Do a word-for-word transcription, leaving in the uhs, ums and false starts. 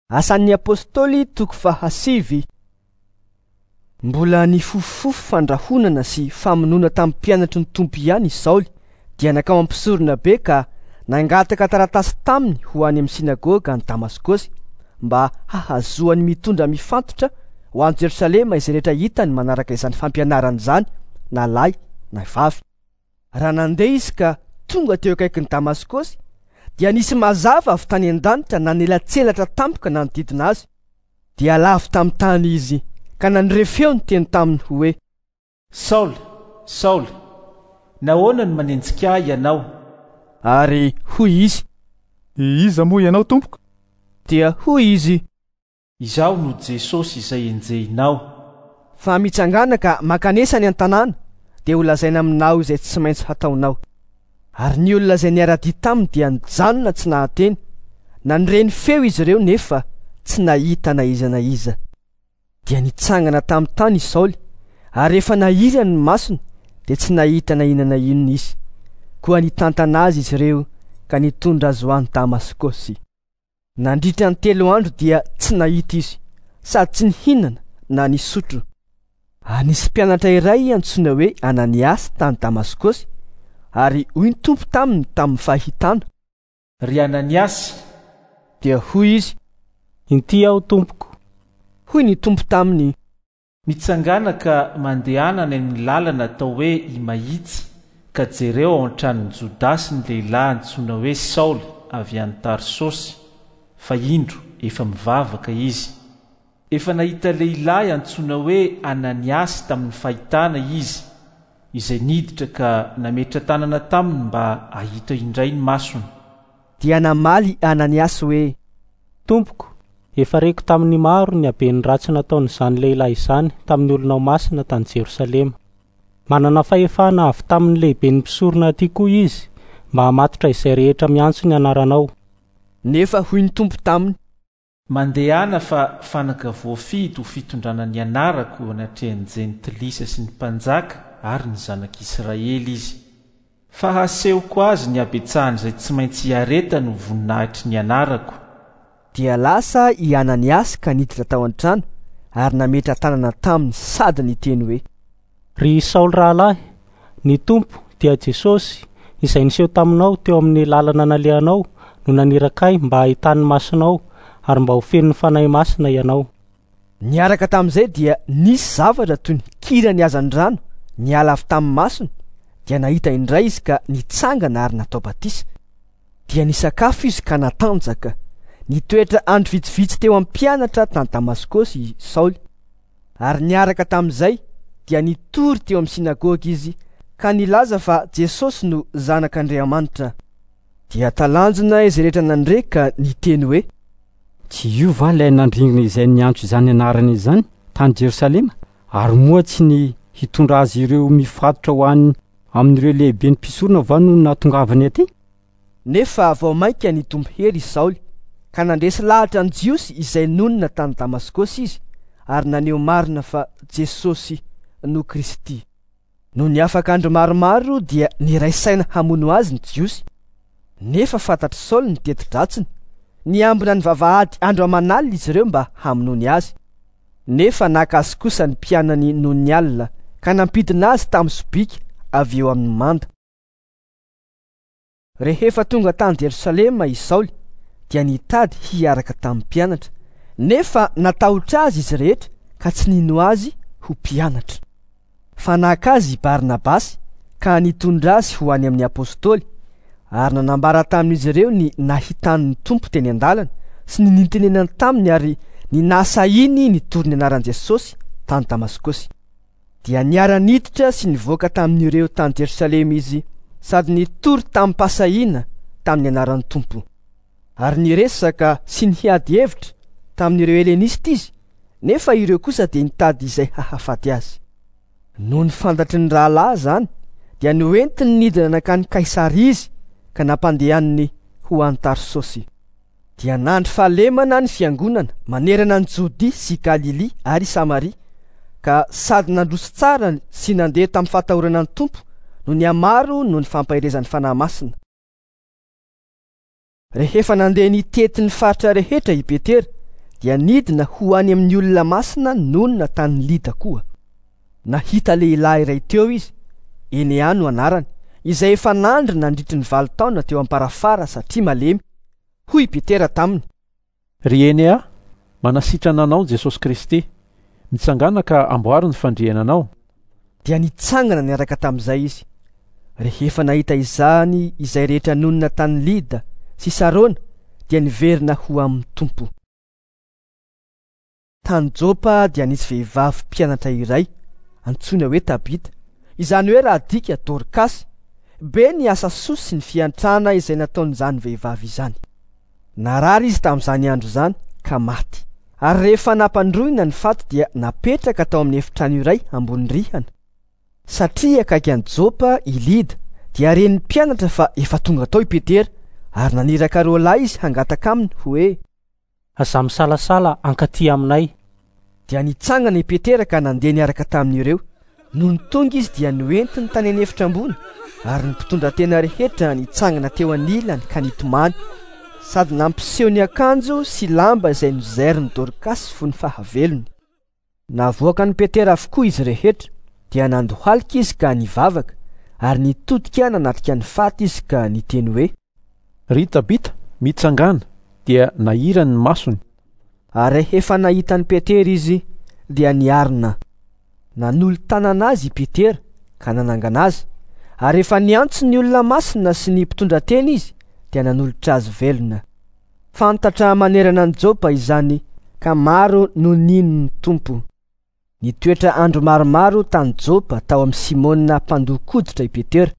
Asan'ny Apostoly toko fahasivy. Mbola nifofofofo fandrahonana sy famonoana tamin'ny mpianatry ny Tompo ihany i Saoly, dia nankao amin'ny mpisorona be ka nangataka taratasy taminy ho any amin'ny synagoga any Damaskosy mba hahazoany mitondra mifantotra ho any Jerosalema izay rehetra hitany manaraka izany fampianarana izany, na lahy na vavy. Raha nandeha izy ka tonga teo akaikin'i Damaskosy, dia nisy mazava avy tany an-danitra nanelatselatra tampoka nanodidina azy. Dia lavo tamin'ny tany izy ka nandre feo niteny taminy hoe: Saoly, Saoly, nahoana no manenjika ahy ianao? Ary hoy izy: Iza moa ianao, tompoko? Dia hoy izy: Izaho no Jesosy izay enjehinao. Fa mitsangana ka mankanesa any an-tanàna, dia holazaina aminao izay tsy maintsy hataonao. Ary ny olona izay niara-dia taminy dia nijanona tsy nahateny. Nandre ny feo izy ireo nefa tsy nahita na iza na iza. Dia nitsangana tamin'ny tany i Saoly, ary rehefa nahirany ny masony dia tsy nahita na inona na inona izy. Koa nitantana azy izy ireo ka nitondra azy ho any Damaskosy. Nandritra ny telo andro dia tsy nahita izy, sady tsy nihinana na nisotro. Ary nisy mpianatra iray antsoina hoe Ananiasy tany Damaskosy, ary hoy ny Tompo taminy tamin'ny fahitana: Ry Ananiasy! Dia hoy izy: Inty aho, tompoko. Hoy ny Tompo taminy: Mitsangana ka mandehana any amin'ny lalana atao hoe Imahitsy, ka jereo ao an-tranon'i Jodasy ny lehilahy antsoina hoe Saoly avy any Tarsosy, fa indro efa mivavaka izy. Efa nahita lehilahy antsoina hoe Ananiasy tamin'ny fahitana izy, izay niditra ka nametra-tanana taminy mba hahita indray ny masony. Dia namaly Ananiasy hoe: Tompoko, efa reko tamin'ny maro ny haben'ny ratsy nataon'izany lehilahy izany tamin'ny olonao masina tany Jerosalema. Manana fahefana avy tamin'ny lehiben'ny mpisorona aty koa izy mba hamatotra izay rehetra miantso ny anaranao. Nefa hoy ny Tompo taminy: Mandehana fa fanaka voafidy ho fitondrana ny anarako eo anatrehan'ny jentilisa sy ny mpanjaka ary ny zanak'Israely izy. Fa hasehoko azy ny habetsahan'izay tsy maintsy hiaretany ho voninahitry ny anarako. Dia lasa i Ananiasy ka niditra tao an-trano ary nametra-tanana taminy sady niteny hoe: Ry Saoly rahalahy, ny Tompo dia Jesosy izay niseho taminao teo amin'ny lalana nalehanao no naniraka ahy mba hahitany masonao ary mba ho feno ny Fanahy Masina ianao. Niaraka tamin'izay dia nisy zavatra toy ny kirany hazandrano niala avy tamin'ny masony, dia nahita indray izy ka nitsangana ary natao batisa. Dia nisakafo izy ka natanjaka. Nitoetra andro vitsivitsy teo amin'ny mpianatra tany Damaskosy i Saoly. Ary niaraka tamin'izay dia nitory teo amin'ny synagoga izy ka nilaza fa Jesosy no Zanak'Andriamanitra. Dia talanjona izay rehetra nandre ka niteny hoe: Tsy io va ilay nandringana izay niantso izany anarana izany tany Jerosalema? Ary moa tsy ny hitondra azy ireo mifatotra ho any amin'ireo lehiben'ny mpisorona va no nahatongavany aty? Nefa vao mainka nitombo hery i Saoly ka nandresy lahatra ny Jiosy izay nonina tany Damaskosy izy, ary naneho marina fa Jesosy no Kristy. Nony afaka andro maromaro dia niray saina hamono azy ny Jiosy. Nefa fantatr'i Saoly ny teti-dratsiny. Niambina ny vavahady andro aman'alina izy ireo mba hamonoany azy. Nefa naka azy kosa ny mpianany nony alina ka nampidina azy tamin'ny sobika avy eo amin'ny manda. Rehefa tonga tany Jerosalema i Saoly dia nitady hiaraka tamin'ny mpianatra, nefa natahotra azy izy rehetra ka tsy nino azy ho mpianatra. Fa naka azy i Barnabasy ka nitondra azy ho any amin'ny apostoly, ary nanambara tamin'izy ireo ny nahitany ny Tompo teny an-dalana sy ny nitenenany taminy ary ny nahasahiny nitory ny anaran'i Jesosy tany Damaskosy. Dia niara-niditra sy nivoaka tamin'ireo tany Jerosalema izy sady nitory tamim-pahasahiana tamin'ny anaran'ny Tompo. Ary niresaka sy niady hevitra tamin'ireo Helenista izy, nefa ireo kosa dia nitady izay hahafaty azy. Nony fantatry ny rahalahy izany, dia noentiny nidina nankany Kaisaria izy ka nampandehaniny ho any Tarsosy. Dia nandry fahalemana ny fiangonana manerana ny Jodia sy Galilia ary Samaria, ka sady nandroso tsara sy nandeha tamin'ny fahatahorana ny Tompo no nihamaro noho ny fampaherezan'ny Fanahy Masina. Rehefa nandeha nitety ny faritra rehetra i Petera dia nidina ho any amin'ny olona masina nonina tany Lida koa. Nahita lehilahy iray teo izy, Enea no anarany, izay efa nandry nandritry ny valo taona teo am-parafara satria malemy. Hoy i Petera taminy: Ry Enea, manasitrana anao Jesosy Kristy. Mitsangàna ka amboary ny fandriananao. Dia nitsangana niaraka tamin'izay izy. Rehefa nahita izany izay rehetra nonina tany Lida sy Sarona, dia niverina ho amin'ny Tompo. Tany Jopa dia nisy vehivavy mpianatra iray antsoina hoe Tabita, izany hoe raha adika Dorkasy. Be ny asa soa sy ny fiantrana izay nataon'izany vehivavy izany. Narary izy tamin'izany andro izany ka maty. Ary rehefa nampandroina ny faty dia napetraka tao amin'ny efitrano iray ambony rihana. Satria akaiky an'i Jopa i Lida, dia ren'ny mpianatra fa efa tonga tao i Petera, ary naniraka roa lahy izy hangataka aminy hoe: Aza misalasala ankaty aminay. Dia nitsangana i Petera ka nandeha niaraka tamin'ireo. Nony tonga izy dia noentiny tany an'efitra ambony, ary ny mpitondra tena rehetra nitsangana teo anilany ka nitomany, sady nampiseho ny akanjo sy lamba izay nozairin'i Dorkasy fony fahavelony. Navoakan'i Petera avokoa izy rehetra, dia nandohalika izy ka nivavaka, ary nitodika nanatrika ny faty izy ka niteny hoe: Ry Tabita, mitsangàna. Dia nahirany ny masony. Ary rehefa nahita an'i Petera izy dia niarina. Nanolo-tanana azy i Petera ka nanangana azy, ary rehefa niantso ny olona masina sy ny mpitondra tena izy dia nanolotra azy velona. Fantatra manerana an'i Jopa izany ka maro no nino ny Tompo. Nitoetra andro maromaro tany Jopa tao amin'i Simona mpandokoditra i Petera.